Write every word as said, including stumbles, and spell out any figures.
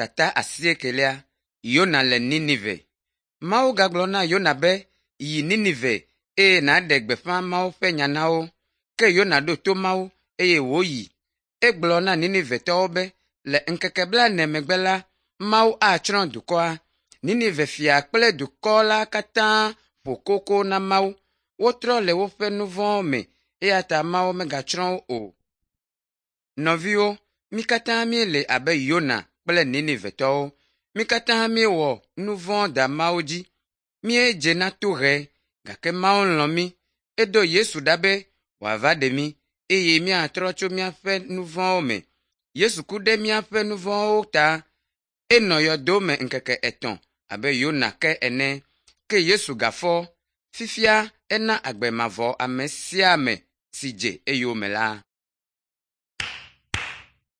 Tata asiekelia Yona le Ninive. Mawu gagblɔ na Yona be, “Yi Ninive eye nàɖe gbeƒã Mawu ƒe nya na wo.” Ke Yona ɖo to Mawu eye wòyi. Egblɔ na Ninivetɔwo be le ŋkeke blaene megbe la, Mawu atsrɔ̃ dukɔa. Ninive fia kple dukɔ la katã ƒo koko na Mawu. Wotrɔ le woƒe nu vɔ̃wo me eya ta Mawu megatsrɔ̃ wo o. Nɔviwo, mí katã míele abe Yona kple Ninivetɔwo. Mí katã míewɔ nu vɔ̃ da Mawu dzi. Míedze na tohehe, gake Mawu lɔ̃ mí. Edo Yesu ɖa be wòava ɖe mí eye míatrɔ tso míaƒe nu vɔ̃wo me. Yesu ku ɖe míaƒe nu vɔ̃wo ta. Enɔ yɔdo me ŋkeke etɔ̃ abe Yona ke ene. Ke Yesu gafɔ. Fifia ena agbe mavɔ ame sia ame si dze eyome la.